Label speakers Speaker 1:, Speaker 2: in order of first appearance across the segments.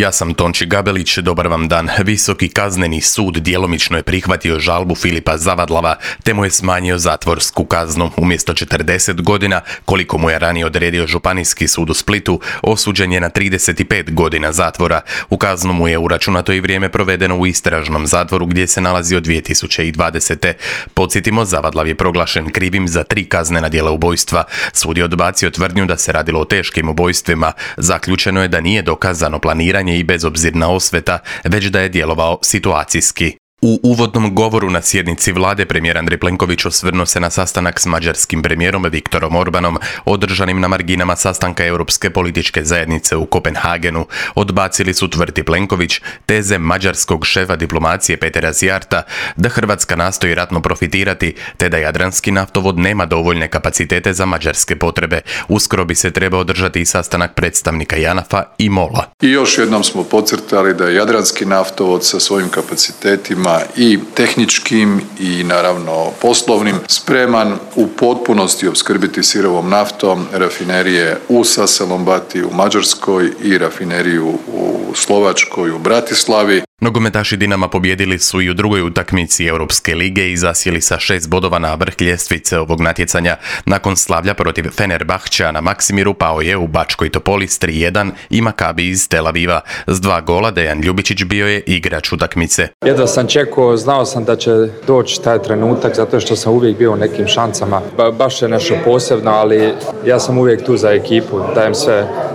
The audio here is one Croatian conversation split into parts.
Speaker 1: Ja sam Tonči Gabelić, dobar vam dan. Visoki kazneni sud djelomično je prihvatio žalbu Filipa Zavadlava te mu je smanjio zatvorsku kaznu. Umjesto 40 godina, koliko mu je ranije odredio Županijski sud u Splitu, osuđen je na 35 godina zatvora. U kaznu mu je uračunato i vrijeme provedeno u istražnom zatvoru gdje se nalazi od 2020. Podsjetimo, Zavadlav je proglašen krivim za 3 kaznena djela ubojstva. Sud je odbacio tvrdnju da se radilo o teškim ubojstvima. Zaključeno je da nije dokazano planiranje i bezobzirna osveta, već da je djelovao situacijski. U uvodnom govoru na sjednici vlade premijer Andrej Plenković osvrnuo se na sastanak s mađarskim premijerom Viktorom Orbanom, održanim na marginama sastanka Europske političke zajednice u Kopenhagenu. Odbacili su, tvrdi Plenković, teze mađarskog šefa diplomacije Petera Szijjarta da Hrvatska nastoji ratno profitirati, te da Jadranski naftovod nema dovoljne kapacitete za mađarske potrebe. Uskoro bi se trebao održati i sastanak predstavnika JANAF-a i MOL-a.
Speaker 2: I još jednom smo podcrtali da je Jadranski naftovod sa svojim kapacitetima i tehničkim i naravno poslovnim spreman u potpunosti opskrbiti sirovom naftom rafinerije u Saselombati u Mađarskoj i rafineriju u Slovačkoj u Bratislavi.
Speaker 1: Nogometaši Dinama pobijedili su i u drugoj utakmici Europske lige i zasjeli sa 6 bodova na vrh ljestvice ovog natjecanja. Nakon slavlja protiv Fenerbahčea na Maksimiru pao je u Bačkoj Topoli s 3:1 i Makabi iz Tel Aviva. S 2 gola Dejan Ljubičić bio je igrač utakmice.
Speaker 3: Jedva sam čekao, znao sam da će doći taj trenutak zato što sam uvijek bio u nekim šansama. Baš je nešto posebno, ali ja sam uvijek tu za ekipu.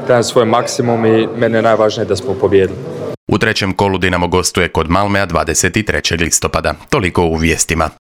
Speaker 3: Dajem svoj maksimum i meni je najvažnije da smo pobijedili.
Speaker 1: U trećem kolu Dinamo gostuje kod Malmea 23. listopada. Toliko u vijestima.